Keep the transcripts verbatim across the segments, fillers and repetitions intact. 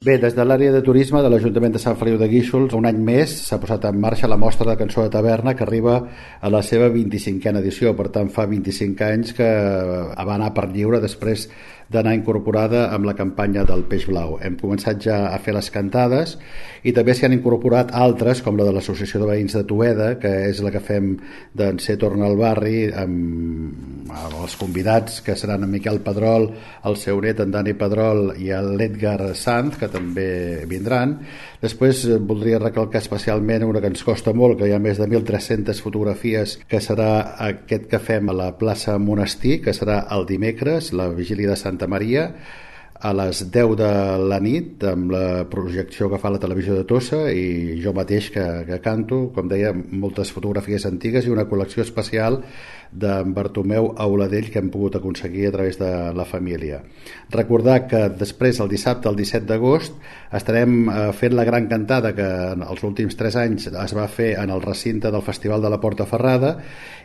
Bé, des de l'àrea de turisme de l'Ajuntament de Sant Feliu de Guíxols, un any més s'ha posat en marxa la mostra de cançó de taverna que arriba a la seva vint-i-cinquena edició. Per tant, fa vint-i-cinc anys que va anar per lliure després d'anar incorporada amb la campanya del Peix Blau. Hem començat ja a fer les cantades i també s'hi han incorporat altres, com la de l'Associació de Veïns de Toeda, que és la que fem d'en Ser Torna al Barri, amb, amb els convidats, que seran en Miquel Pedrol, el seu net, en Dani Pedrol, i l'Edgar Sanz, que també vindran. Després voldria recalcar especialment una que ens costa molt, que hi ha més de mil tres-centes fotografies, que serà aquest que fem a la plaça Monestir, que serà el dimecres, la vigília de Santa Maria, a les deu de la nit, amb la projecció que fa la televisió de Tossa, i jo mateix que, que canto, com deia, moltes fotografies antigues i una col·lecció especial d'en Bartomeu Auladell que hem pogut aconseguir a través de la família. Recordar que després, el dissabte, el disset d'agost, estarem fent la gran cantada que en els últims tres anys es va fer en el recinte del Festival de la Porta Ferrada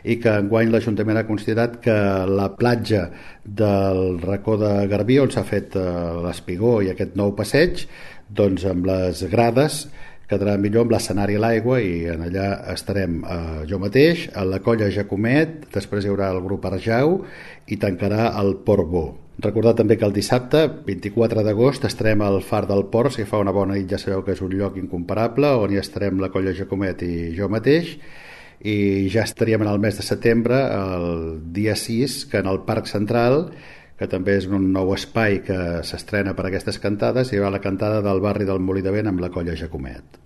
i que enguany l'Ajuntament ha considerat que la platja del racó de Garbí, on s'ha fet l'espigó i aquest nou passeig, doncs amb les grades quedarà millor amb l'escenari a l'aigua, i en allà estarem eh, jo mateix, a la colla Jacomet, després hi haurà el grup Arjau i tancarà el Port Bo. Recordar també que el dissabte, vint-i-quatre d'agost, estarem al Far del Port. Si fa una bona nit ja sabeu que és un lloc incomparable, on hi estarem la colla Jacomet i jo mateix, i ja estaríem en el mes de setembre, el dia sis, que en el Parc Central, que també és un nou espai que s'estrena per aquestes cantades, hi haurà la cantada del barri del Molí de Vent amb la colla Jacomet.